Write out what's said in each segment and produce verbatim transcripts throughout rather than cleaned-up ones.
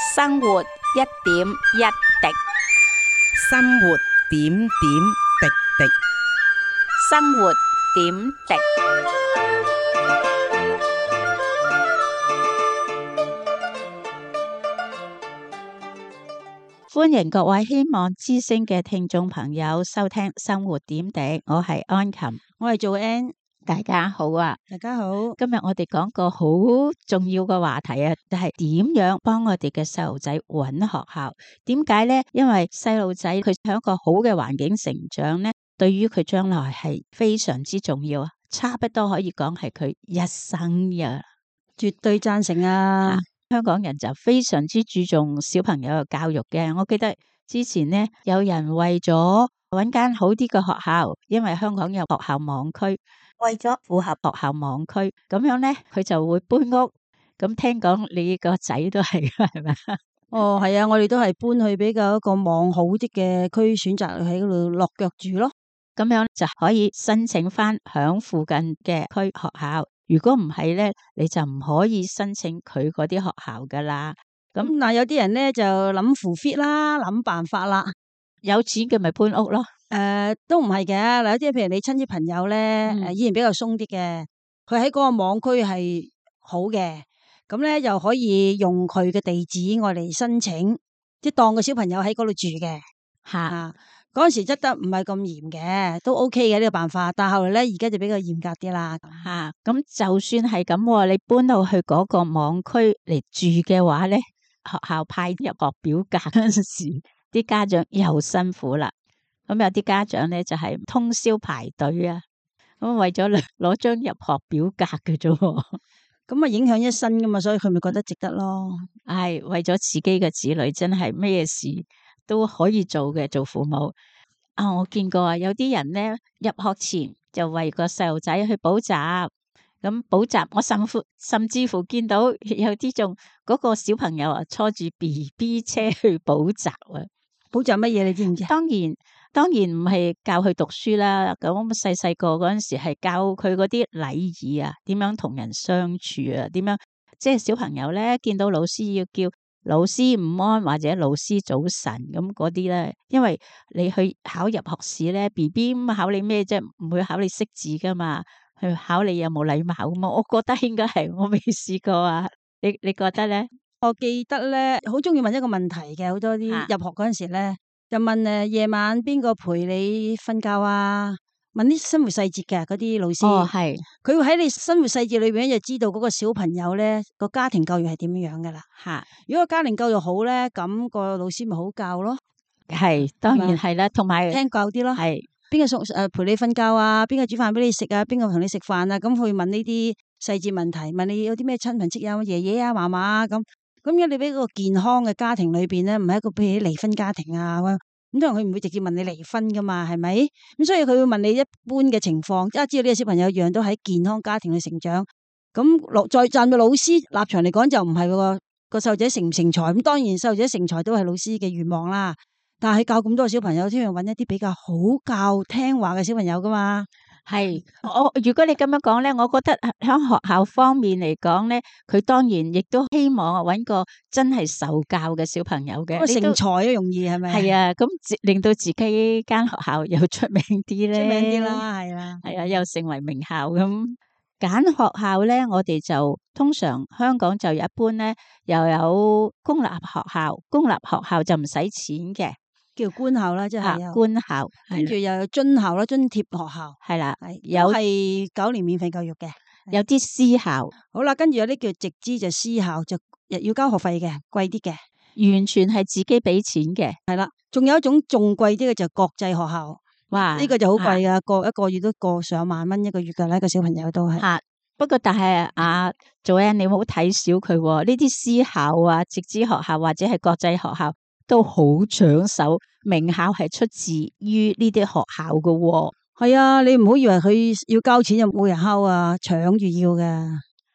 生活一點一滴，生活點點滴滴。生活點滴。歡迎各位希望之聲嘅聽眾朋友收聽生活點滴，我係安琴，我係做 N， 大家好啊！大家好。今日我哋講個好重要嘅話題啊，就係點樣幫我哋嘅細路仔揾學校？點解呢？因為細路仔佢喺一個好嘅環境成長呢，對於佢將來係非常之重要啊！差不多可以講係佢一生呀，絕對贊成啊！香港人就非常之注重小朋友嘅教育嘅。我記得之前呢，有人為咗揾間好啲嘅學校，因為香港有學校網區，為咗符合學校網區，咁樣呢，佢就會搬屋。咁聽講你個仔都係係咪？哦，係啊，我哋都係搬去比較一個網好啲嘅區，選擇喺嗰度落腳住咯。咁樣就可以申請翻響附近嘅區學校。如果唔係咧，你就唔可以申請佢嗰啲學校噶啦。咁嗱、嗯，有啲人咧就諗扶 fit 啦，諗辦法啦。有錢嘅咪搬屋咯。誒、呃，都唔係嘅。嗱，有啲譬如你親戚朋友咧，誒、嗯，依然比較鬆啲嘅，佢喺嗰個網區係好嘅，咁咧又可以用佢嘅地址我嚟申請，即係當個小朋友喺嗰度住嘅。吓、啊。嗰陣時執得唔係咁嚴嘅，都 OK 嘅呢個辦法。但係後來咧，而家就比較嚴格啲啦。吓，咁就算係咁，你搬到去嗰個網區嚟住嘅話咧，學校派入學表格嗰陣時，啲家長又辛苦啦。咁有啲家長咧就係通宵排隊啊，咁為咗攞攞張入學表格嘅啫。咁啊，影響一生噶嘛，所以佢咪覺得值得咯。係為咗自己嘅子女，真係咩事都可以做嘅，做父母啊！我見過啊，有啲人咧入學前就為個細路仔去補習，咁補習我甚乎甚至乎見到有啲仲嗰個小朋友啊，坐住 B B 車去補習啊！補習乜嘢你知唔知？當然當然唔係教佢讀書啦，咁細細個嗰陣時係教佢嗰啲禮儀啊，點樣同人相處啊，點樣即係小朋友咧見到老師要叫老師午安或者老師早晨咁嗰啲咧，因為你去考入學試咧 B B 咁考你咩啫？唔會考你識字噶嘛，去考你有冇禮貌咁嘛。我覺得應該係，我未試過啊。你你覺得咧？我記得咧，好中意問一個問題嘅，好多啲入學嗰陣時咧，就問誒夜晚邊個陪你瞓覺啊？問啲生活細節嘅嗰啲老師。哦，係，佢會喺你生活細節裏邊就知道嗰個小朋友咧個家庭教育係點樣樣噶啦。吓，如果個家庭教育好咧，咁個老師咪好教咯。係，當然係啦，同埋聽教啲咯。係邊個送誒陪你瞓覺啊？邊個煮飯俾你食啊？邊個同你食飯啊？咁去問呢啲細節問題，問你有啲咩親朋戚友、爺爺啊、嫲嫲啊咁。咁如果你俾個健康嘅家庭裏邊咧，唔係一個譬如離婚家庭啊咁，咁當然佢唔會直接問你離婚噶嘛，係咪？咁所以佢會問你一般嘅情況，即係知道呢個小朋友樣都喺健康家庭去成長。咁落再站在老師立場嚟講，就唔係個個細路仔成唔成才。咁當然細路仔成才都係老師嘅願望啦。但係教咁多小朋友，先要揾一啲比較好教聽話嘅小朋友噶嘛。係，我如果你咁樣講咧，我覺得喺學校方面嚟講咧，佢當然亦都希望揾個真係受教嘅小朋友嘅，成才都容易係咪？係啊，咁令到自己間學校又出名啲咧，出名啲啦，係啦，係啊，又成為名校咁。揀學校咧，我哋就通常香港就一般咧，又有公立學校，公立學校就唔使錢嘅。叫官校啦，即係官校，跟住又有津校啦，津貼學校係啦，有係九年免費教育嘅，有啲私校，好啦，跟住有啲叫直資就私校，就要交學費嘅，貴啲嘅，完全係自己俾錢嘅，係啦。仲有一種仲貴啲嘅就國際學校，哇，呢個就好貴噶，個一個月都過上萬蚊一個月噶啦，一個小朋友都係。吓，不過但係啊，做人你唔好睇小佢，呢啲私校啊、直資學校或者係國際學校。都好搶手，名校係出自於呢啲學校噶喎。係啊，你唔好以為佢要交錢就冇人敲啊，搶住要嘅。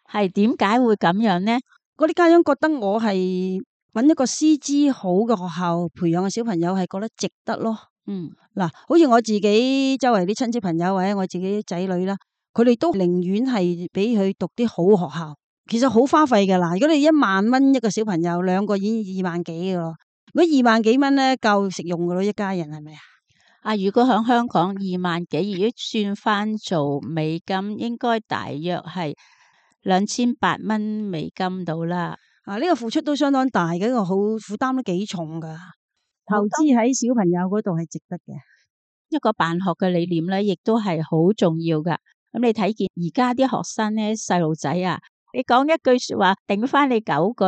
係點解會咁樣呢？嗰啲家長覺得我係揾一個師資好嘅學校培養嘅小朋友係覺得值得咯。嗯，嗱，好似我自己周圍啲親戚朋友或者我自己仔女啦，佢哋都寧願係俾佢讀啲好學校。其實好花費噶啦。如果你一萬蚊一個小朋友，兩個已經二萬幾噶咯。如果二萬幾蚊咧，夠食用噶咯，一家人係咪啊？啊，如果喺香港二萬幾，如果算翻做美金，應該大約係兩千八蚊美金到啦。啊，呢個付出都相當大嘅，一個好負擔都幾重噶。投資喺小朋友嗰度係值得嘅。一個辦學嘅理念咧，亦都係好重要噶。咁你睇見而家啲學生咧，細路仔啊，你講一句說話頂翻你九句。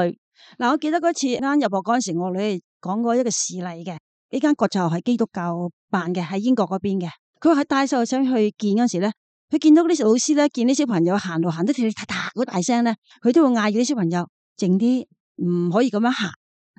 嗱，我記得嗰次啱入學嗰陣時，我女講過一個事例嘅。呢間國際學係基督教辦嘅，喺英國嗰邊嘅。佢話喺帶細路仔去見嗰時咧，佢見到嗰啲老師咧，見啲小朋友行路行得跳踏踏好大聲咧，佢都會嗌住啲小朋友靜啲，唔可以咁樣行。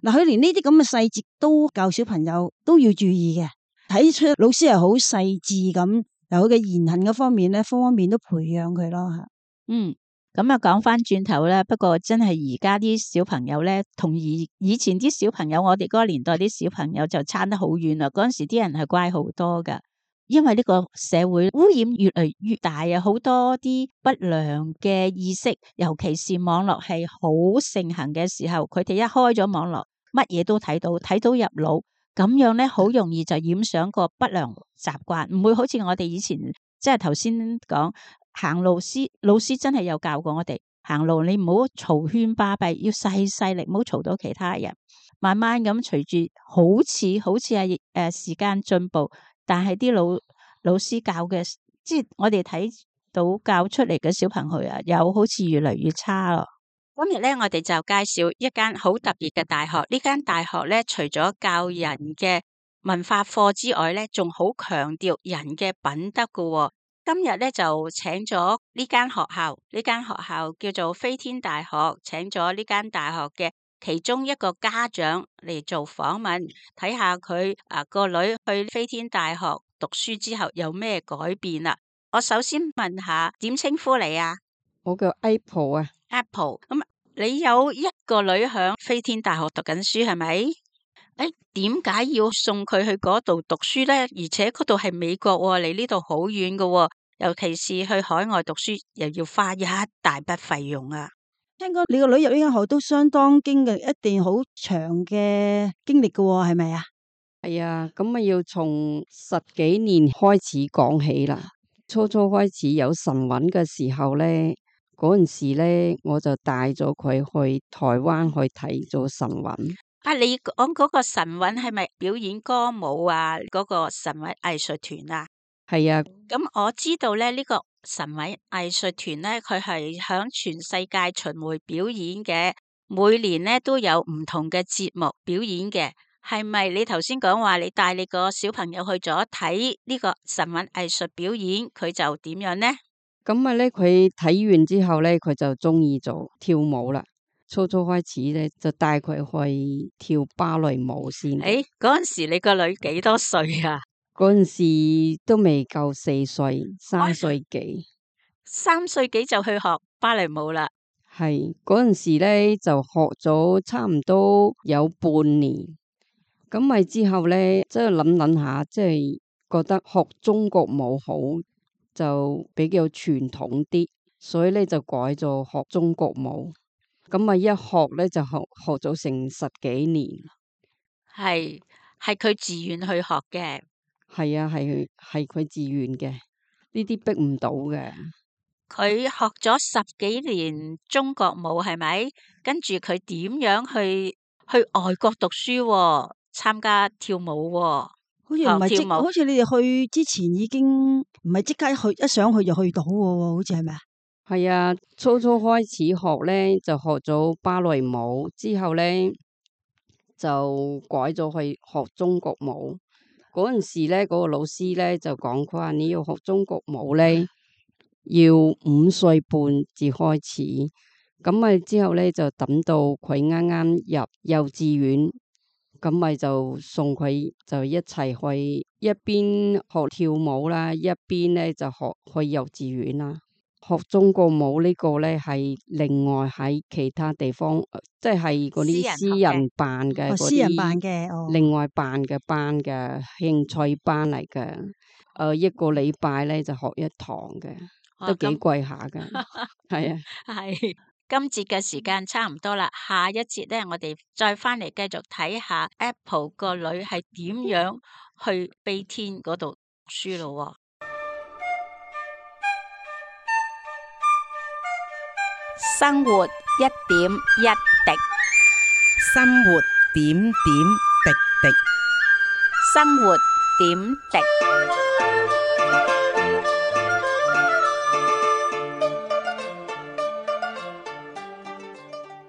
嗱，佢連呢啲咁嘅細節都教小朋友都要注意嘅，睇出老師係好細緻咁，由佢嘅言行嗰方面咧，方方面都培養佢咯吓。嗯。咁啊，講翻轉頭咧，不過真係而家啲小朋友咧，同以以前啲小朋友，我哋嗰個年代啲小朋友就差得好遠啦。嗰陣時啲人係乖好多噶，因為呢個社會污染越嚟越大啊，好多啲不良嘅意識，尤其是網絡係好盛行嘅時候，佢哋一開咗網絡，乜嘢都睇到，睇到入腦，咁樣咧好容易就染上個不良習慣，唔會好似我哋以前即係頭先講。行路師老師真係有教過我哋行路，你唔好嘈喧巴閉，要細細力，唔好嘈到其他人。慢慢咁隨住，好似好似係誒時間進步，但係啲老老師教嘅，即係我哋睇到教出嚟嘅小朋友啊，又好似越嚟越差咯。今日咧，我哋就介紹一間好特別嘅大學。呢間大學咧，除咗教人嘅文化課之外咧，仲好強調人嘅品德噶喎。今日咧就請咗呢間學校，呢間學校叫做飛天大學，請咗呢間大學嘅其中一個家長嚟做訪問，睇下佢啊個女去飛天大學讀書之後有咩改變啦。我首先問下點稱呼你啊？我叫 Apple 啊。Apple，咁你有一個女響飛天大學讀緊書係咪？誒，點解要送佢去嗰度讀書呢？而且嗰度係美國喎，離呢度好遠㗎喎，尤其是去海外讀書，又要花一大筆費用啊！聽講你個女入呢間學都相當經歷一段好長嘅經歷㗎喎，係咪啊？係啊，咁啊要從十幾年開始講起啦。初初開始有神韻嘅時候咧，嗰陣時咧我就帶咗佢去台灣去睇咗神韻。啊，你講嗰個神韻係咪表演歌舞啊？嗰個神韻藝術團啊？係啊。咁我知道咧，呢個神韻藝術團咧，佢係響全世界巡迴表演嘅，每年咧都有唔同嘅節目表演嘅。係咪你頭先講話你帶你個小朋友去咗睇呢個神韻藝術表演，佢就點樣呢？咁啊咧，佢睇完之後咧，佢就中意做跳舞啦。初初開始咧，就帶佢去跳芭蕾舞先。誒，嗰陣時你個女幾多歲啊？嗰陣時都未夠四歲，三歲幾。三歲幾就去學芭蕾舞啦？係嗰陣時咧就學咗差唔多有半年。咁咪之後咧，即係諗諗下，即係覺得學中國舞好就比較傳統啲，所以咧就改咗學中國舞。咁啊，一學咧就學學咗成十幾年。係係佢自願去學嘅。係啊，係係佢自願嘅，呢啲逼唔到嘅。佢學咗十幾年中國舞係咪？跟住佢點樣去去外國讀書啊？參加跳舞啊？好似唔係即，跳舞好似你哋去之前已經唔係即刻去，一上去就去到喎，好似係咪啊？係啊，初初開始學咧就學咗芭蕾舞，之後咧就改咗去學中國舞。嗰陣時咧，嗰個老師咧就講佢話你要學中國舞咧，要五歲半至開始。咁咪之後咧就等到佢啱啱入幼稚園，咁咪就送佢就一齊去一邊學跳舞啦，一邊咧就學去幼稚園啦。學中國舞呢個咧係另外喺其他地方，即係嗰啲私人辦嘅，私人辦嘅，哦，另外辦嘅班嘅興趣班嚟嘅。誒、呃，一個禮拜咧就學一堂嘅，都幾貴下嘅。係啊，係今節嘅時間差唔多啦，下一節咧，我哋再翻嚟繼續睇下 Apple 個女係點樣去悲天嗰度讀書咯。生活一點一滴，生活點點滴滴。生活點滴。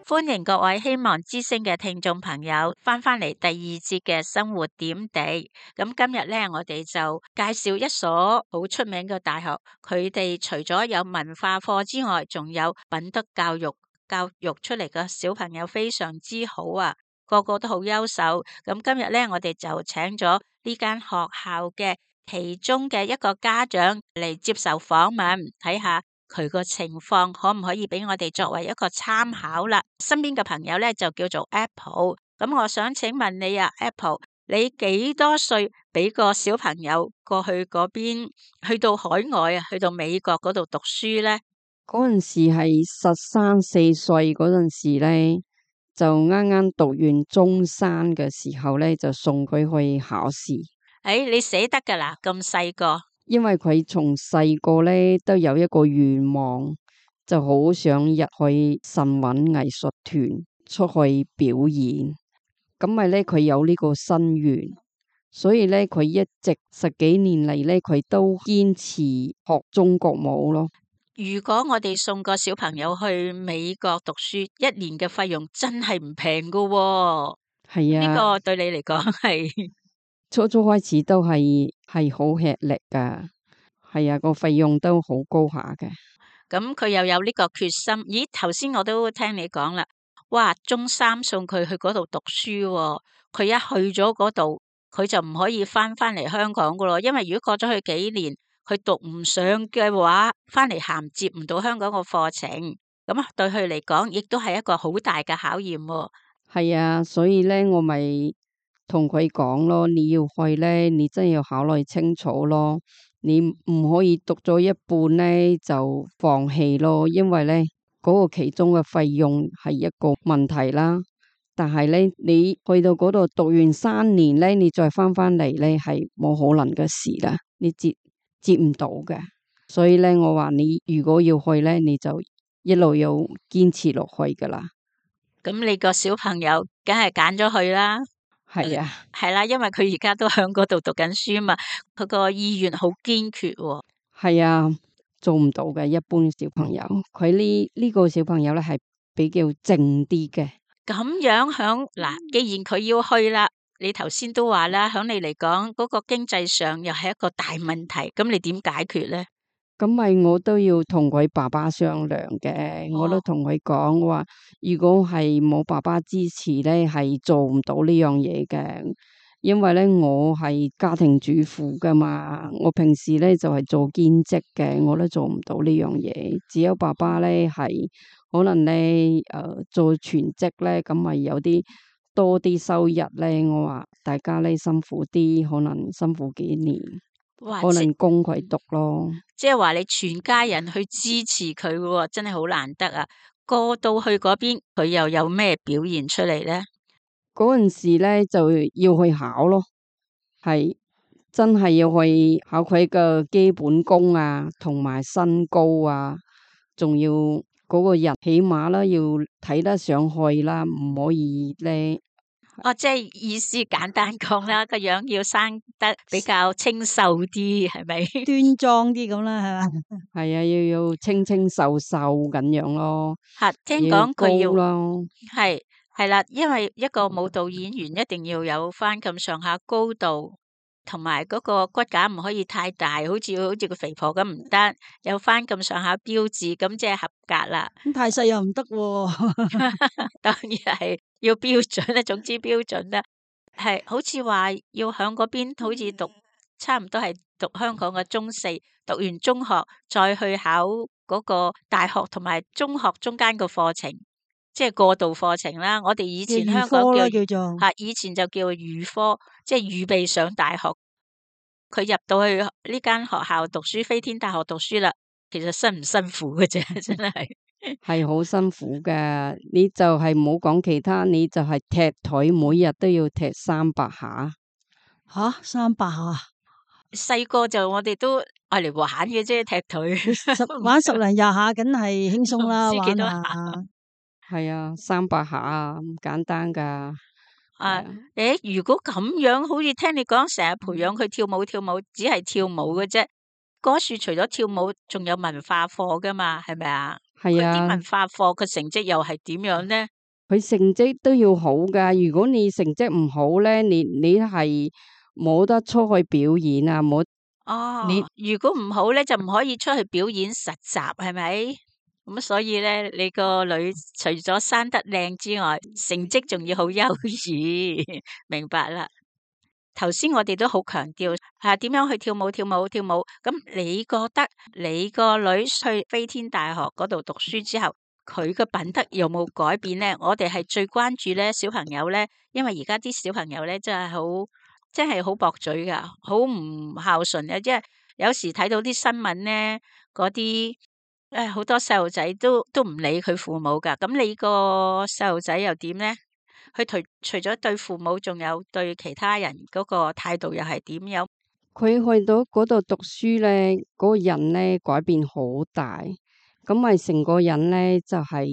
歡迎各位希望之聲嘅聽眾朋友翻返嚟第二節嘅生活點滴。咁今日咧，我哋就介紹一所好出名嘅大學，佢哋除咗有文化課之外，仲有品德教育，教育出嚟嘅小朋友非常之好啊，個個都好優秀。咁今日咧，我哋就請咗呢間學校嘅其中嘅一個家長嚟接受訪問，睇下佢個情況可唔可以俾我哋作為一個參考啦？身邊嘅朋友咧就叫做 Apple， 咁我想請問你啊 ，Apple， 你幾多歲俾個小朋友過去嗰邊，去到海外啊，去到美國嗰度讀書咧？嗰陣時係十三四歲嗰陣時咧，就啱啱讀完中三嘅時候咧，就送佢去考試。誒、哎，你捨得噶啦，咁細個。因為佢從細個咧都有一個願望，就好想入去神韻藝術團出去表演。咁咪咧佢有呢個心願，所以咧佢一直十幾年嚟咧，佢都堅持學中國舞咯。如果我哋送個小朋友去美國讀書，一年嘅費用真係唔平噶喎。係啊，呢個對你嚟講係。初初開始都係係好吃力噶，係啊，個費用都好高下嘅。咁佢又有呢個決心。咦，頭先我都聽你講啦，哇，中三送佢去嗰度讀書喎，佢一去咗嗰度，佢就唔可以翻翻嚟香港噶咯。因為如果過咗去幾年，佢讀唔上嘅話，翻嚟銜接唔到香港個課程，咁對佢嚟講，亦都係一個好大嘅考驗喎。係啊，所以咧我咪同佢講咯，你要去咧，你真係要考慮清楚咯。你唔可以讀咗一半咧就放棄咯，因為咧嗰個其中嘅費用係一個問題啦。但係咧，你去到嗰度讀完三年咧，你再翻翻嚟咧係冇可能嘅事啦，你接接唔到嘅。所以咧，我話你如果要去咧，你就一路要堅持落去噶啦。咁你個小朋友梗係揀咗去啦。係啊，係啦，因為佢而家都喺嗰度讀緊書嘛，佢個意願好堅決喎。係啊，做唔到嘅一般小朋友，佢呢呢個小朋友咧係比較靜啲嘅。咁樣響嗱，既然佢要去啦，你頭先都話啦，響你嚟講嗰個經濟上又係一個大問題，咁你點解決咧？咁咪我都要同佢爸爸商量嘅，哦、我都同佢講話，如果係冇爸爸支持咧，係做唔到呢樣嘢嘅。因為咧我係家庭主婦噶嘛，我平時咧就係、是、做兼職嘅，我都做唔到呢樣嘢。只有爸爸咧係可能咧誒、呃、做全職咧，咁咪有啲多啲收入咧。我話大家咧辛苦啲，可能辛苦幾年。哇可能供佢讀咯，即係話你全家人去支持佢喎，真係好難得啊！過到去嗰邊，佢又有咩表現出嚟咧？嗰陣時咧就要去考咯，係真係要去考佢嘅基本功啊，同埋身高啊，仲要嗰個人起碼啦，要睇得上去啦，唔可以咧。哦，即係意思簡單講啦，個樣要生得比較清秀啲，係咪？端莊啲咁啦，係嘛？係啊，要要清清秀秀咁樣咯。吓，聽講佢要咯，係係啦，因為一個舞蹈演員一定要有翻咁上下高度，同埋嗰個骨架唔可以太大，好似好似個肥婆咁唔得，有翻咁上下標誌，咁即係合格啦。咁太細又唔得喎。當然係要標準啦，總之標準啦，係好似話要響嗰邊，好似讀差唔多係讀香港嘅中四，讀完中學再去考嗰個大學同埋中學中間個課程，即係過渡課程啦。我哋以前香港叫叫做吓，以前就叫預科，即係預備上大學。佢入到去呢間學校讀書，飛天大學讀書啦，其實辛唔辛苦嘅啫，真係。係好辛苦噶。你就係唔好講其他，你就係踢腿，每日都要踢三百下。吓三百下，細個就我哋都愛嚟玩嘅啫，踢腿。十玩十零廿下，梗係輕鬆啦，唔知幾多玩下。係啊，三百下啊，唔簡單噶。啊，係啊，誒，如果咁樣，好似聽你講，成日培養佢跳舞，跳舞只係跳舞嘅啫。嗰樹除咗跳舞，仲有文化課噶嘛，係咪啊？佢啲係啊，文化課嘅成績又係點樣咧？佢成績都要好噶。如果你成績唔好咧，你你係冇得出去表演啊，冇哦，你如果唔好咧，就唔可以出去表演實習，係咪？咁所以咧，你個女除咗生得靚之外，成績仲要好優異，明白啦。頭先我哋都好強調吓點樣去跳舞、跳舞、跳舞。咁你覺得你個女去飛天大學嗰度讀書之後，佢嘅品德有冇改變咧？我哋係最關注咧小朋友咧，因為而家啲小朋友咧真係好，真係好駁嘴噶，好唔孝順嘅。即係有時睇到啲新聞咧，嗰啲誒好多細路仔都都唔理佢父母噶。咁你個細路仔又點咧？佢除除咗對父母，仲有對其他人嗰個態度又係點樣？佢去到嗰度讀書咧，嗰、個人咧改變好大，咁咪成個人咧就係、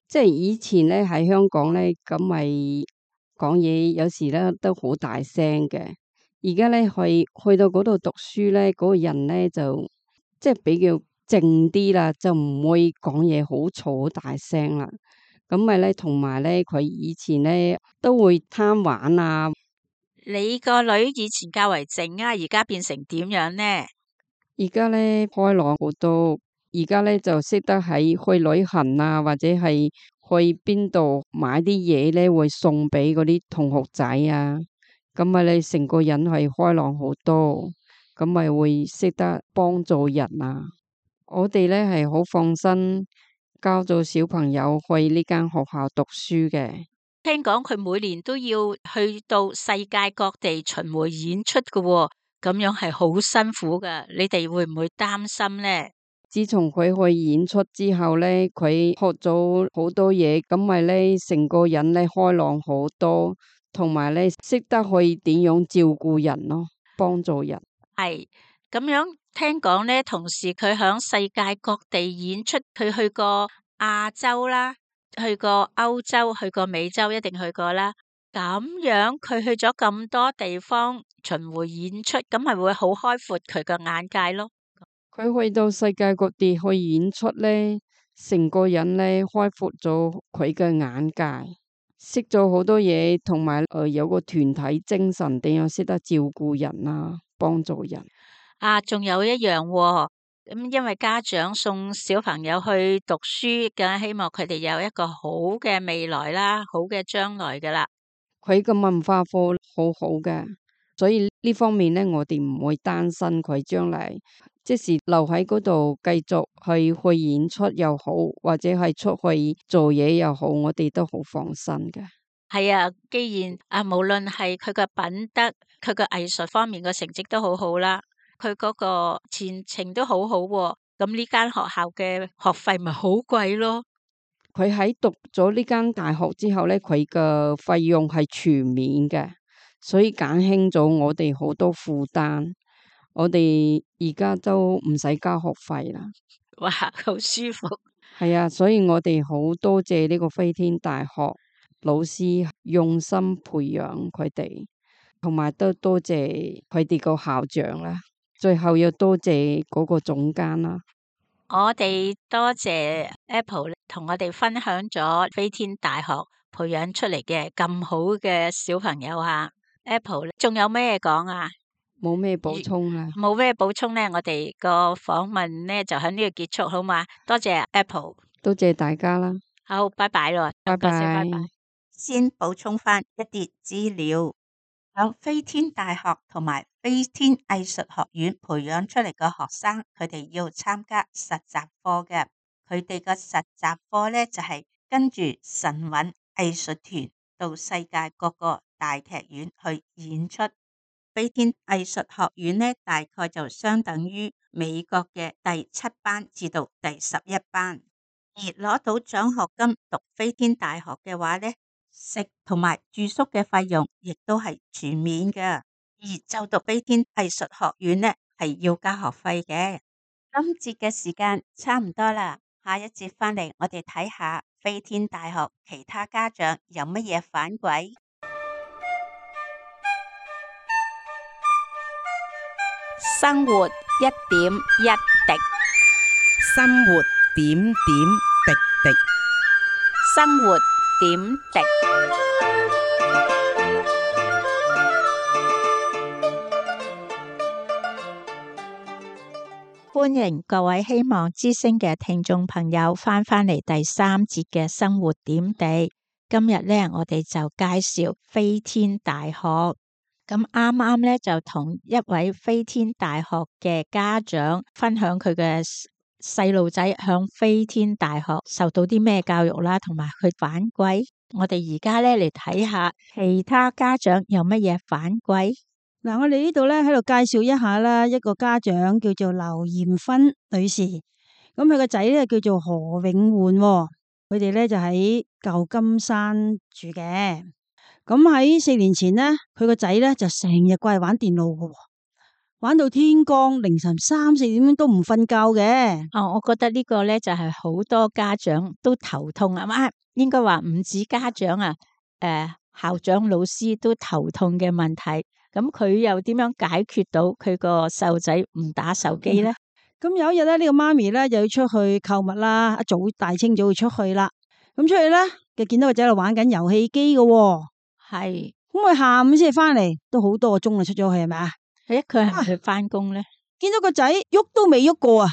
即係以前咧喺香港咧，咁咪講嘢有時咧都好大聲嘅。而家咧去去到嗰度讀書咧，嗰、個人咧就即係比較靜啲啦，就唔會講嘢好嘈好大聲啦。咁咪咧，同埋咧，佢以前咧都會貪玩啊。你個女以前較為靜啊，而家變成點樣呢？而家咧開朗好多，而家咧就識得喺去旅行啊，或者係去邊度買啲嘢咧，會送俾嗰啲同學仔啊。咁咪你成個人係開朗好多，咁咪會識得幫助人啊。我哋咧係好放心交咗小朋友去呢間學校讀書嘅。聽講佢每年都要去到世界各地巡迴演出嘅喎，咁樣係好辛苦噶。你哋會唔會擔心呢？自從佢去演出之後咧，佢學咗好多嘢，咁咪咧成個人咧開朗好多，同埋咧識得去點樣照顧人咯，幫助人。係咁樣聽講咧，同時佢響世界各地演出，佢去過亞洲啦，去過歐洲，去過美洲，一定去過啦。咁樣佢去咗咁多地方巡迴演出，咁係會好開闊佢個眼界咯。佢去到世界各地去演出咧，成個人咧開闊咗佢嘅眼界，識咗好多嘢，同埋誒有個團體精神，點樣識得照顧人啊，幫助人。啊，仲有一樣喎，咁因為家長送小朋友去讀書，梗係希望佢哋有一個好嘅未來啦，好嘅將來噶啦。佢嘅文化課好好嘅，所以呢方面咧，我哋唔會擔心佢將來即時留喺嗰度繼續去去演出又好，或者係出去做嘢又好，我哋都好放心嘅。係啊，既然啊，無論係佢嘅品德，佢嘅藝術方面嘅成績都好好啦，佢嗰個前程都好好喎，咁呢間學校嘅學費咪好貴咯。佢喺讀咗呢間大學之後咧，佢嘅費用係全免嘅，所以減輕咗我哋好多負擔。我哋而家都唔使交學費啦。哇，好舒服。係啊，所以我哋好多謝呢個飛天大學老師用心培養佢哋，同埋都多謝佢哋個校長啦。最後要多謝嗰個總監啦。我哋多謝 Apple 同我哋分享咗飛天大學培養出嚟嘅咁好嘅小朋友啊。Apple 仲有咩講啊？冇咩補充啦。冇咩補充呢？我哋個訪問呢就喺呢度結束好嘛？多謝 Apple，多謝大家啦。好，拜拜咯，拜拜。拜拜。先補充翻一啲資料。響飛天大學同埋飛天藝術學院培養出嚟嘅學生，佢哋要參加實習課嘅。佢哋嘅實習課咧就係跟住神韻藝術團到世界各個大劇院去演出。飛天藝術學院咧大概就相等於美國嘅第七班至到第十一班。而攞到獎學金讀飛天大學嘅話呢，食同埋住宿嘅費用亦都係全免嘅。而就讀飛天藝術學院呢，係要交學費嘅。今節嘅時間差唔多啦，下一節翻嚟我哋睇下飛天大學其他家長有乜嘢反饋。生活一點一滴，生活點點滴滴。生活點滴。歡迎各位希望之聲嘅聽眾朋友翻返嚟第三節嘅生活點滴。今日咧，我哋就介紹飛天大學。咁啱啱咧就同一位飛天大學嘅家長分享佢嘅細路仔向飛天大學受到啲咩教育啦，同埋佢反饋。我哋而家咧嚟睇下其他家長有乜嘢反饋。嗱，我哋呢度咧喺度介紹一下啦，一個家長叫做劉艷芬女士，咁佢個仔咧叫做何永煥，佢哋咧就喺舊金山住嘅。咁喺四年前呢，佢個仔咧就成日過嚟玩電腦嘅，玩到天光，凌晨三四點都唔瞓覺嘅。哦，我覺得呢個咧就係好多家長都頭痛啊，嘛應該話唔止家長啊，誒、呃、校長老師都頭痛嘅問題。咁佢又點樣解決到佢個細路仔唔打手機咧？咁、嗯、有一日咧，呢、這個媽咪咧就要出去購物啦，一早大清早要出去啦。咁出去咧，就見到個仔喺度玩緊遊戲機嘅。係，咁佢下午先至翻嚟，都好多個鐘啦，出咗去係咪啊？誒，佢係咪去翻工咧？見到個仔喐都未喐過啊，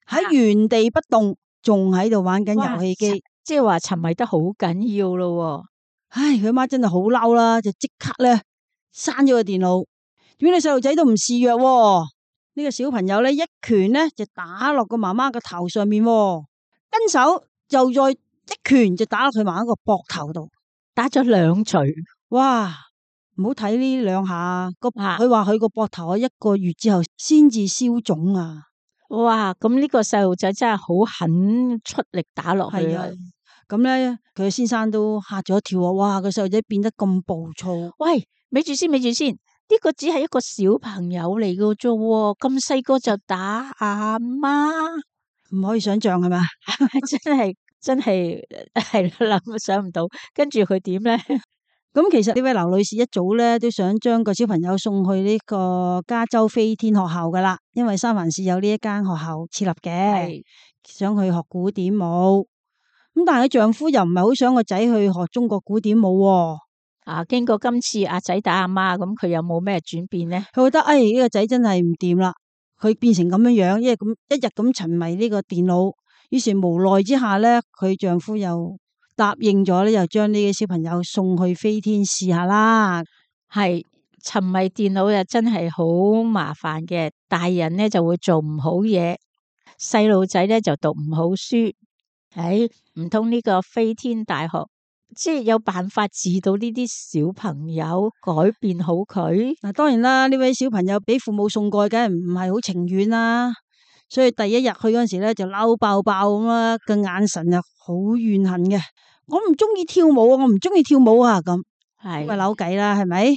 喺原地不動，仲喺度玩緊遊戲機，即係話沉迷得好緊要咯。唉，佢媽真係好嬲啦，就即刻咧閂咗個電腦。點解你細路仔都唔示弱？呢個小朋友咧一拳咧就打落個媽媽個頭上面，跟手就再一拳就打落佢媽媽個膊頭度，打咗兩錘。哇！唔好睇呢兩下，個佢話佢個膊頭一個月之後先至消腫啊！哇！咁呢個細路仔真係好狠出力打落去啊！咁咧佢先生都嚇咗一跳啊！哇！個細路仔變得咁暴躁。喂，咪住先，咪住先，呢個只係一個小朋友嚟嘅啫，咁細個就打阿媽，唔可以想象係咪？真係真係係諗想唔到，跟住佢點咧？咁其實呢位劉女士一早咧都想將個小朋友送去呢個加州飛天學校噶啦，因為三藩市有呢一間學校設立嘅，想去學古典舞。咁但係佢丈夫又唔係好想個仔去學中國古典舞。啊，經過今次阿仔打阿媽，咁佢有冇咩轉變咧？佢覺得誒呢個仔真係唔掂啦，佢變成咁樣樣，因為咁一日咁沉迷呢個電腦，於是無奈之下咧，佢丈夫又答應咗咧，又將呢個小朋友送去飛天試下啦。係沉迷電腦又真係好麻煩嘅，大人咧就會做唔好嘢，細路仔咧就讀唔好書。誒，唔通呢個飛天大學即係有辦法治到呢啲小朋友，改變好佢？嗱，當然啦，呢位小朋友俾父母送過去，梗係唔係好情願啦。所以第一日去嗰陣時咧，就嬲爆爆咁啦，個眼神又好怨恨嘅。我唔中意跳舞啊，我唔中意跳舞啊，咁係咪扭計啦？係咪？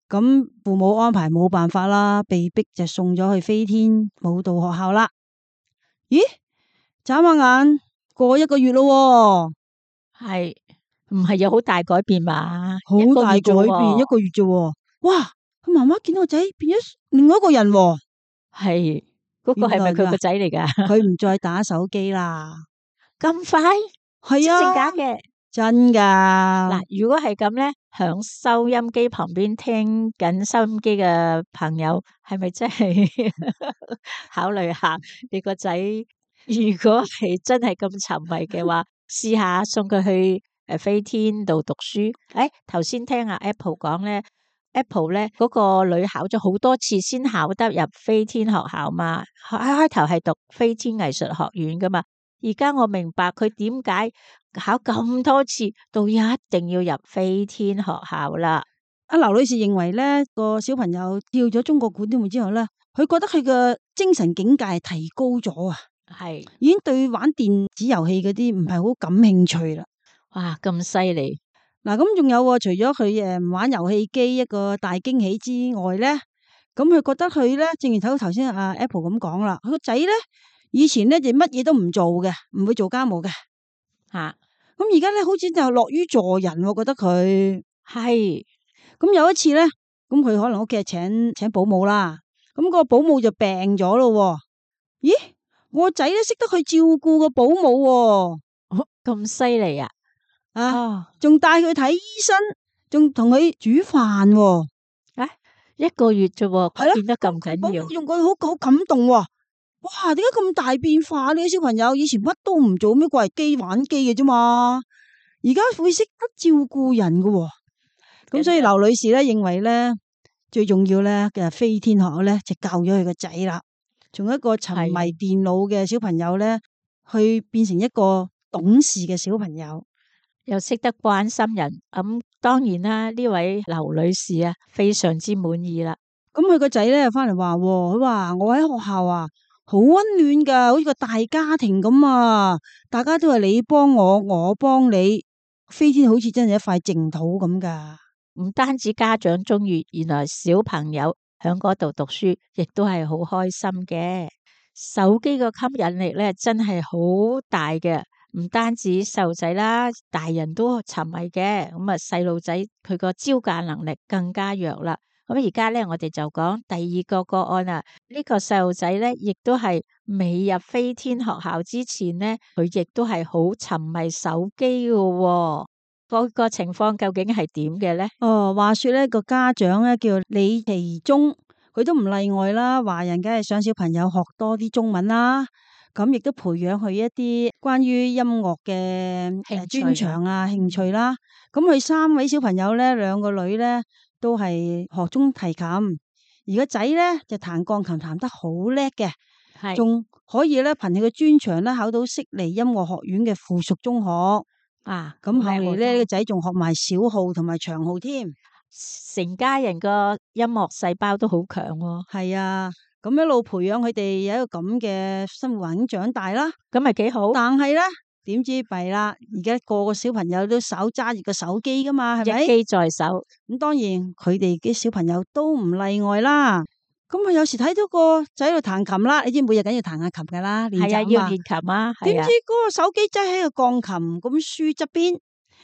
咁父母安排冇辦法啦，被逼就送咗去飛天舞蹈學校啦。咦？眨下眼過一個月咯，係唔係有好大改變嘛？好大改變，一個月啫。哇！佢媽媽見到個仔變咗另外一個人，係嗰個係咪佢個仔嚟噶？佢唔再打手機啦，咁快？係啊，真假嘅？真噶。嗱，如果係咁咧，響收音機旁邊聽緊收音機嘅朋友，係咪真係考慮下你個仔？如果係真係咁沉迷嘅話，試下送佢去誒飛天度讀書。誒，頭先聽阿 Apple 講咧 ，Apple 咧嗰個女考咗好多次先考得入飛天學校嘛，開開頭係讀飛天藝術學院噶嘛。而家我明白佢點解考咁多次，到一定要入飛天學校啦。阿劉女士認為咧，個小朋友跳咗中國古典舞之後咧，佢覺得佢嘅精神境界提高咗啊。係已經對玩電子遊戲嗰啲唔係好感興趣啦。哇，咁犀利！嗱，咁仲有喎，除咗佢誒唔玩遊戲機一個大驚喜之外咧，咁佢覺得佢咧，正如睇到頭先阿 Apple 咁講啦，佢個仔咧以前咧就乜嘢都唔做嘅，唔會做家務嘅。吓咁而家咧好似就樂於助人喎，覺得佢係咁有一次咧，咁佢可能屋企係請請保姆啦，咁個保姆就病咗咯。咦，我個仔咧識得去照顧個保姆喎，咁犀利啊！啊，哦，仲帶佢睇醫生，仲同佢煮飯喎。啊，一個月啫喎，係咯變得咁保緊要姆，用佢好好感動喎。哇，點解咁大變化呢？小朋友以前乜都唔做，咩掛機玩機嘅啫嘛，而家會識得照顧人嘅喎。咁所以劉女士咧認為咧，最重要咧嘅飛天學咧就教咗佢個仔啦，從一個沉迷電腦嘅小朋友咧，去變成一個懂事嘅小朋友。又識得關心人，咁當然啦，呢位劉女士啊，非常之滿意啦。咁佢個仔咧翻嚟話，佢話我喺學校啊，好溫暖噶，好似個大家庭咁啊，大家都係你幫我，我幫你，飛天好似真係一塊淨土咁噶。唔單止家長中意，原來小朋友喺嗰度讀書，亦都係好開心嘅。手機個吸引力咧，真係好大嘅。唔單止細路仔啦，大人都沉迷嘅。咁啊，細路仔佢個招架能力更加弱啦。咁而家咧，我哋就講第二個個案啦。呢個細路仔咧，亦都係未入飛天學校之前咧，佢亦都係好沉迷手機嘅。嗰個情況究竟係點嘅咧？哦，話說咧個家長咧叫李其忠，佢都唔例外啦。華人梗係想小朋友學多啲中文啦。咁亦都培養佢一啲關於音樂嘅誒專長啊、興趣啦。咁佢三位小朋友咧，兩個女咧都係學中提琴，而個仔咧就彈鋼琴彈得好叻嘅，係仲可以咧憑佢嘅專長咧考到悉尼音樂學院嘅附屬中學。啊，咁後嚟咧，呢個仔仲學埋小號同埋長號添，成家人個音樂細胞都好強喎。係啊。咁一路培養佢哋有一個咁嘅生活環境長大啦，咁咪幾好。但係咧，點知弊啦？而家個個小朋友都手揸住個手機噶嘛，係咪？一機在手。咁當然佢哋啲小朋友都唔例外啦。咁佢有時睇到個仔喺度彈琴啦，你知每日梗要彈下琴噶啦，練習係啊，要嘛。練琴啊。點知嗰個手機擠喺個鋼琴咁書側邊，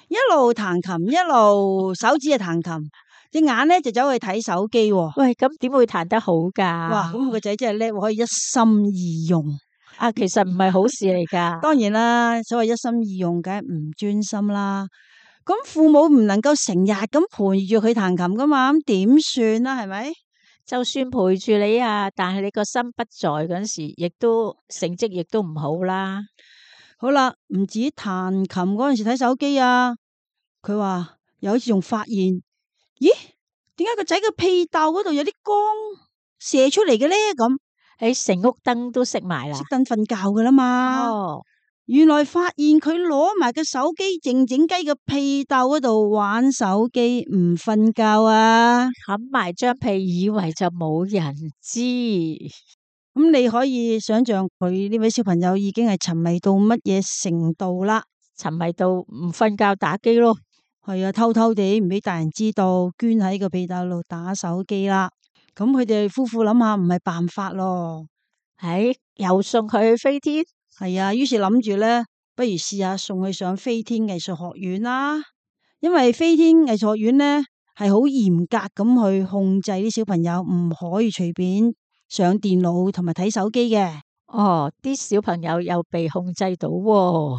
一路彈琴，一路手指啊彈琴。隻眼咧就走去睇手機喎。喂，咁點會彈得好噶？哇！咁個仔真係叻，可以一心二用。啊，其實唔係好事嚟噶。當然啦，所謂一心二用，梗係唔專心啦。咁父母唔能夠成日咁陪住佢彈琴噶嘛，咁點算啦？係咪？就算陪住你啊，但係你個心不在嗰陣時，亦都成績亦都唔好啦。好啦，唔止彈琴嗰陣時睇手機啊，佢話有一次仲發現。咦？點解個仔嘅屁竇嗰度有啲光射出嚟嘅咧？咁喺成屋燈都熄埋啦，熄燈瞓覺噶啦嘛。哦，原來發現佢攞埋個手機靜靜雞嘅屁竇嗰度玩手機，唔瞓覺啊！冚埋張被，以為就冇人知。咁你可以想象佢呢位小朋友已經係沉迷到乜嘢程度啦？沉迷到唔瞓覺打機咯。係啊，偷偷地唔俾大人知道，捐喺個被竇度打手機啦。咁佢哋夫婦諗下，唔係辦法咯。唉，又送佢去飛天。係啊，於是諗住咧，不如試下送佢上飛天藝術學院啦。因為飛天藝術學院咧係好嚴格咁去控制啲小朋友，唔可以隨便上電腦同埋睇手機嘅。哦，啲小朋友又被控制到喎。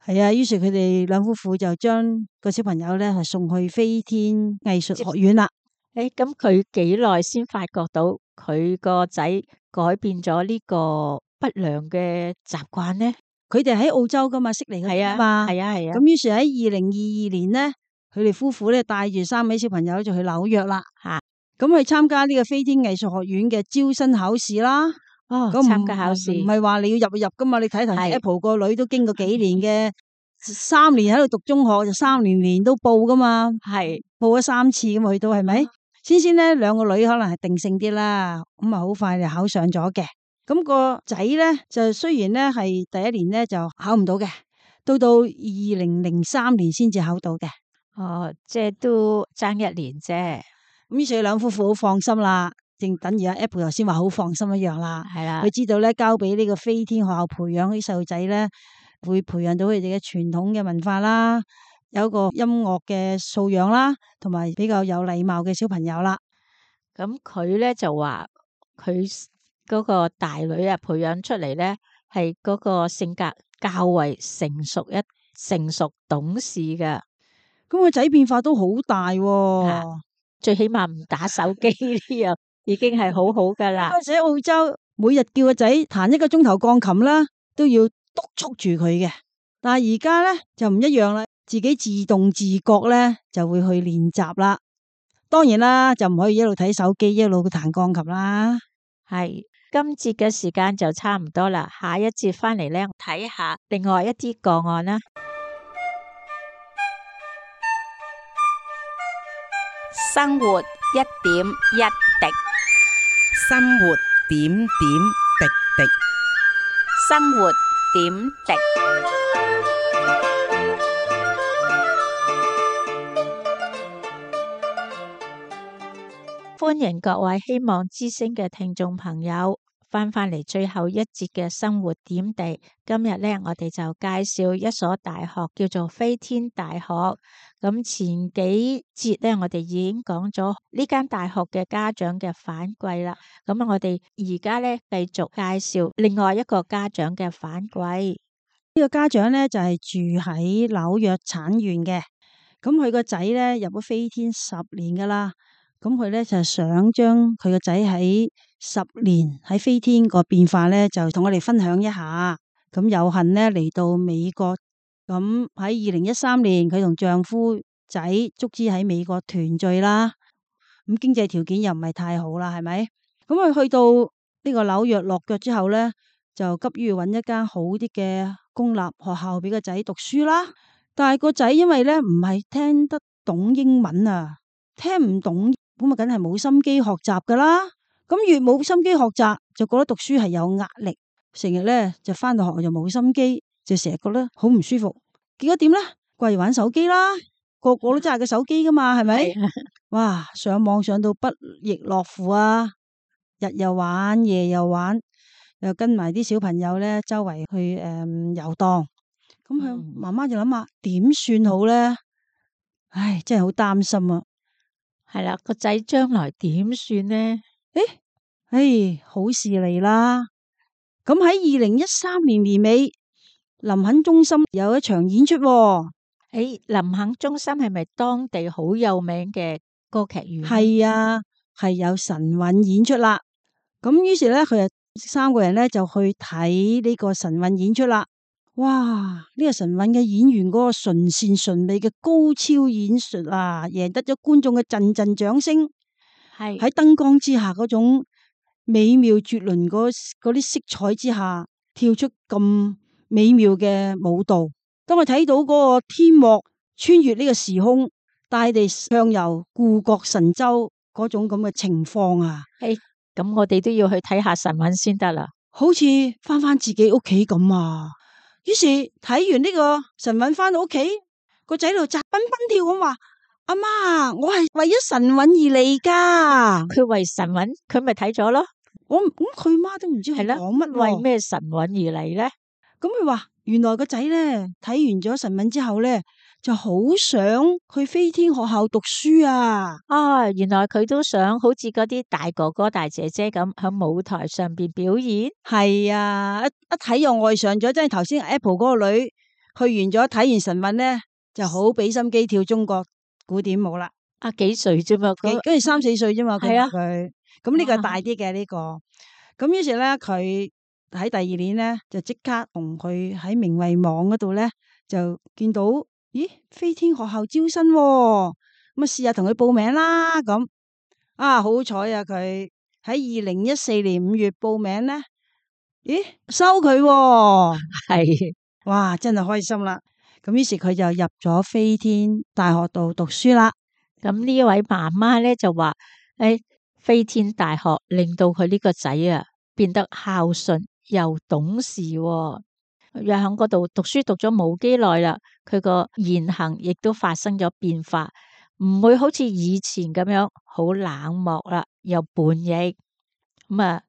係啊，於是佢哋兩夫婦就將個小朋友咧係送去飛天藝術學院啦。誒，咁佢幾耐先發覺到佢個仔改變咗呢個不良嘅習慣呢？佢哋喺澳洲噶嘛，悉尼係啊嘛，係啊係啊。咁於是喺二零二二年咧，佢哋夫婦咧帶住三位小朋友就去紐約啦。吓，咁去參加呢個飛天藝術學院嘅招生考試啦。哦，咁參加考試唔係話你要入就入噶嘛？你睇頭係 Apple 個女都經過幾年嘅三年喺度讀中學，就三年年都報噶嘛，係報咗三次咁去到係咪？先先咧兩個女可能係定性啲啦，咁啊好快就考上咗嘅。咁個仔咧就雖然咧係第一年咧就考唔到嘅，到到二零零三年先至考到嘅。哦，即係都爭一年啫。咁於是兩夫婦好放心啦，正等於阿 Apple 頭先話好放心一樣啦。係啦，佢知道咧交俾呢個飛天學校培養啲細路仔咧，會培養到佢哋嘅傳統嘅文化啦，有一個音樂嘅素養啦，同埋比較有禮貌嘅小朋友啦。咁佢咧就話佢嗰個大女啊，培養出嚟咧係嗰個性格較為成熟一成熟懂事嘅。咁個仔變化都好大喎、啊最起碼唔打手機呢樣已經係好好噶啦。嗰陣喺澳洲，每日叫個仔彈一個鐘頭鋼琴啦，都要督促住佢嘅。但係而家咧就唔一樣啦，自己自動自覺咧就會去練習啦。當然啦，就唔可以一路睇手機一路彈鋼琴啦。係今節嘅時間就差唔多啦，下一節翻嚟咧睇下另外一啲個案啦。生活一點一滴，生活點點滴滴。生活點滴。歡迎各位希望之聲嘅聽眾朋友翻返嚟最後一節嘅生活點滴。今日咧，我哋就介紹一所大學，叫做飛天大學。咁前幾節咧，我哋已經講咗呢間大學嘅家長嘅反饋啦。咁我哋而家咧繼續介紹另外一個家長嘅反饋。呢個家長咧就係住喺紐約產院嘅，咁佢個仔咧入咗飛天十年噶啦。咁佢咧就想將佢個仔喺十年喺飛天個變化咧，就同我哋分享一下。咁有幸咧嚟到美國，咁喺二零一三年佢同丈夫仔足之喺美國團聚啦。咁經濟條件又唔係太好啦，係咪？咁佢去到呢個紐約落腳之後咧，就急於揾一間好啲嘅公立學校俾個仔讀書啦。但係個仔因為咧唔係聽得懂英文啊，聽唔懂。咁啊，梗係冇心機學習噶啦。咁越冇心機學習，就覺得讀書係有壓力，成日咧就翻到學校就冇心機，就成日覺得好唔舒服。結果點咧？掛住玩手機啦，個個都揸個手機噶嘛，係咪？哇！上網上到不亦樂乎啊！日又玩，夜又玩，又跟埋啲小朋友咧周圍去誒、嗯、遊蕩。咁佢媽媽就諗下點算好咧？唉，真係好擔心啊！係啦，個仔將來點算呢？誒，唉，好事嚟啦！咁喺二零一三年年尾，林肯中心有一場演出喎。誒，林肯中心係咪當地好有名嘅歌劇院？係啊，係有神韻演出啦。咁於是咧，佢哋三個人咧就去睇呢個神韻演出啦。哇！呢個神韻嘅演員嗰個純善純美嘅高超演術啊，贏得咗觀眾嘅陣陣掌聲。係喺燈光之下嗰種美妙絕倫嗰嗰啲色彩之下，跳出咁美妙嘅舞蹈。當我睇到嗰個天幕穿越呢個時空，大地向遊故國神州嗰種咁嘅情況啊，誒，咁我哋都要去睇下神韻先得啦。好似翻翻自己屋企咁啊！於是睇完呢個神韻翻到屋企，個仔度扎蹦蹦跳咁話：阿媽，我係為咗神韻而嚟噶。佢為神韻，佢咪睇咗咯？我咁佢媽都唔知佢係啦，講乜，為咩神韻而嚟咧？咁佢話原來個仔咧睇完咗神韻之後咧，就好想去飛天學校讀書啊！啊，原來佢都想好似嗰啲大哥哥大姐姐咁喺舞台上邊表演。係啊，一一睇又愛上咗，即係頭先 Apple 嗰個女去完咗睇完神韻咧，就好俾心機跳中國古典舞啦。啊，幾歲啫嘛？跟住三四歲啫嘛，係啊佢咁呢個大啲嘅呢個。咁於是咧，佢喺第二年咧就即刻同佢喺明慧網嗰度咧就見到，咦，飛天學校招生，咁啊試下同佢報名啦。咁啊好彩啊，佢喺二零一四年五月報名咧，咦收佢喎，係哇真係開心啦。咁於是佢就入咗飛天大學度讀書啦。咁呢位媽媽咧就話：誒，飛天大學令到佢呢個仔啊變得孝順又懂事喎。又喺嗰度讀書讀咗冇幾耐啦，佢個言行亦都發生咗變化，唔會好似以前咁樣好冷漠啦，又叛逆咁啊。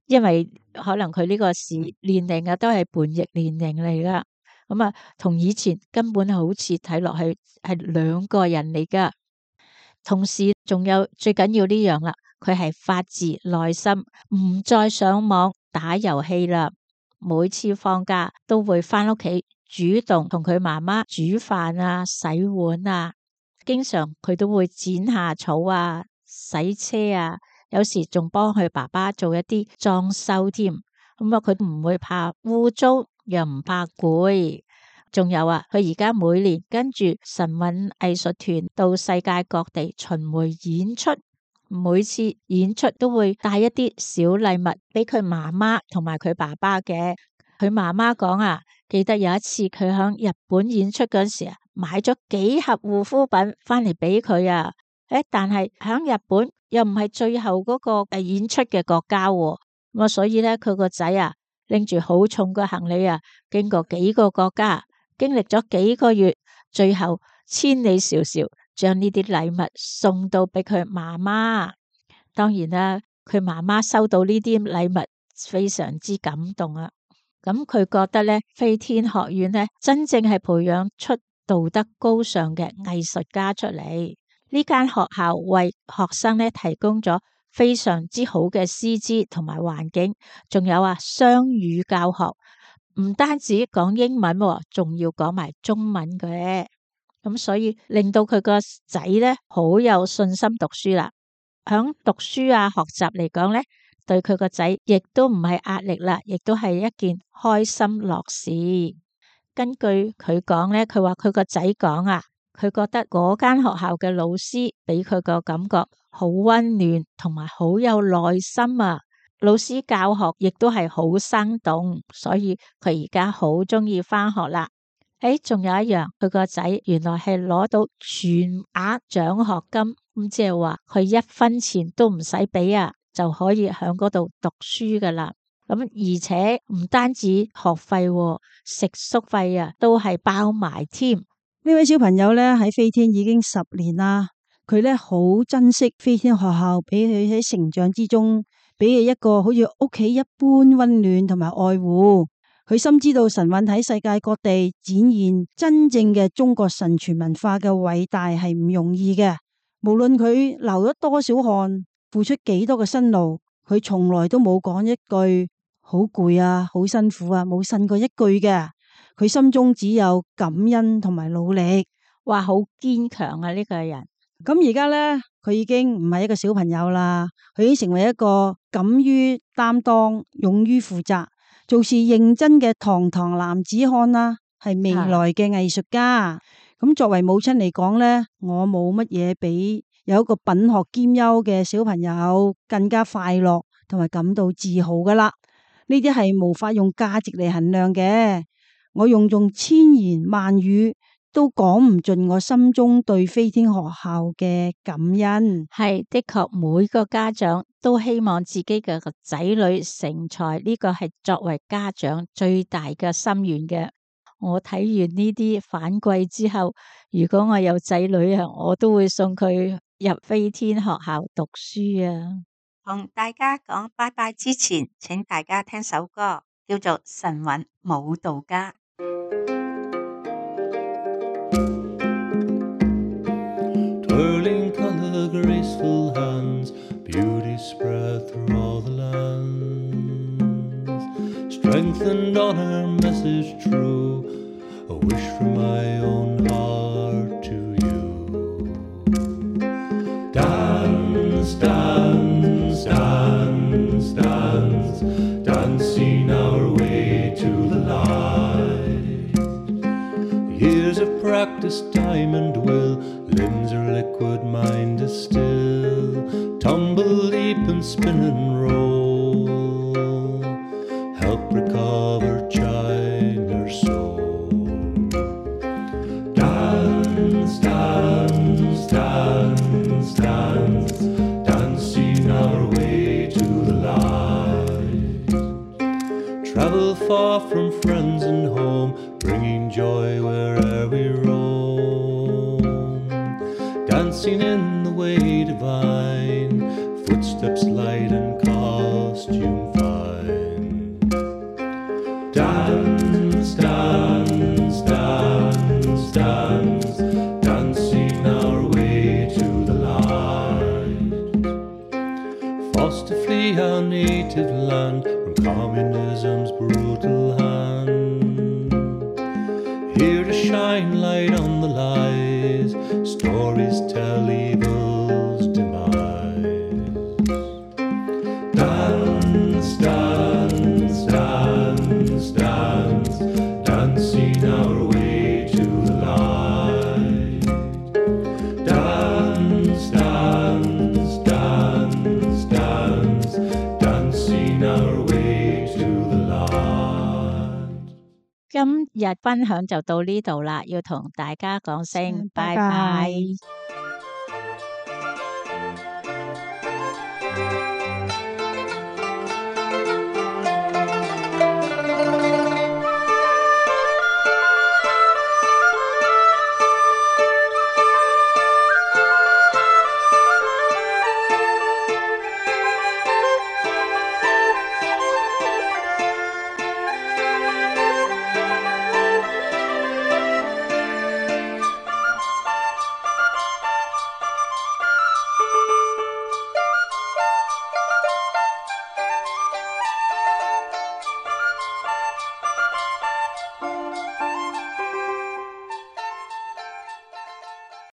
因為可能佢呢個時年齡啊，都係叛逆年齡嚟噶，咁啊，同以前根本好似睇落去係兩個人嚟噶。同時仲有最緊要呢樣啦，佢係發自內心，唔再上網打遊戲啦。每次放假都會返屋企主動同佢媽媽煮飯啊、洗碗啊，經常佢都會剪下草啊、洗車啊，有時仲幫佢爸爸做一啲裝修添。咁啊，佢唔會怕污糟，又唔怕攰。仲有啊，佢而家每年跟住神韻藝術團到世界各地巡迴演出，每次演出都會帶一啲小禮物俾佢媽媽同埋佢爸爸嘅。佢媽媽講啊，記得有一次佢喺日本演出嗰時啊，買咗幾盒護膚品翻嚟俾佢啊。誒，但係喺日本又唔係最後嗰個誒演出嘅國家喎，咁啊，所以咧佢個仔啊拎住好重嘅行李啊，經過幾個國家，經歷咗幾個月，最後千里迢迢將呢啲禮物送到俾佢媽媽。當然啦，佢媽媽收到呢啲禮物非常之感動啊。咁佢覺得咧，飛天學院咧真正係培養出道德高尚嘅藝術家出嚟。呢間學校為學生咧提供咗非常之好嘅師資同埋環境，仲有啊雙語教學，唔單止講英文，仲要講埋中文嘅。咁所以令到佢個仔咧好有信心讀書啦。響讀書啊學習嚟講咧，對佢個仔亦都唔係壓力啦，亦都係一件開心樂事。根據佢講咧，佢話佢個仔講啊，佢覺得嗰間學校嘅老師俾佢個感覺好溫暖，同埋好有耐心啊。老師教學亦都係好生動，所以佢而家好中意返學啦。誒，仲有一樣，佢個仔原來係攞到全額獎學金，咁即係話佢一分錢都唔使俾啊，就可以喺嗰度讀書噶啦。咁而且唔單止學費，食宿費啊都係包埋添。呢位小朋友咧喺飛天已經十年啦，佢咧好珍惜飛天學校俾佢喺成長之中俾佢一個好似屋企一般溫暖同埋愛護。佢深知道神韻喺世界各地展現真正嘅中國神傳文化嘅偉大係唔容易嘅。無論佢流咗多少汗，付出幾多嘅辛勞，佢從來都冇講一句好攰啊、好辛苦啊，冇呻過一句嘅。佢心中只有感恩同埋努力。哇，好堅強啊呢個人。咁而家呢，佢已經唔係一個小朋友啦，佢已經成為一個敢於擔當、勇於負責、做事認真嘅堂堂男子漢啦，係未來嘅藝術家。咁作為母親嚟講呢，我冇乜嘢比有一個品學兼優嘅小朋友更加快樂同埋感到自豪噶啦。呢啲係無法用價值嚟衡量嘅，我用盡千言萬語都講唔盡我心中對飛天學校嘅感恩。係的確，每個家長都希望自己嘅個仔女成才，呢個係作為家長最大嘅心願嘅。我睇完呢啲反饋之後，如果我有仔女啊，我都會送佢入飛天學校讀書啊。同大家講拜拜之前，請大家聽首歌，叫做《神韻舞蹈家》。Twirling color, graceful hands, beauty spread through all the lands. Strength and honor, message true, a wish from my own heart to you. Dance, dance, dance, dance, dancing our way to the light. Years of practice, time and will, limbs are liquid, mind is still. Tumble, leap and spin and roll, help recover China's soul. Dance, dance, dance, dance, dancing our way to the light. far from friends and home, bringing joy where'er we roam. Dancing in the way divine, footsteps light and costume fine. Dance, dance, dance, dance, dancing our way to the light. Forced to flee our native land from communism's brutal hand. Here to shine light on the lies, stories tell evil's demise. Dance, dance, dance, dance, dancing our way to the light. Dance, dance, dance, dance, dancing our way to the light. 今日分享就到呢度啦，要同大家講聲拜拜拜拜。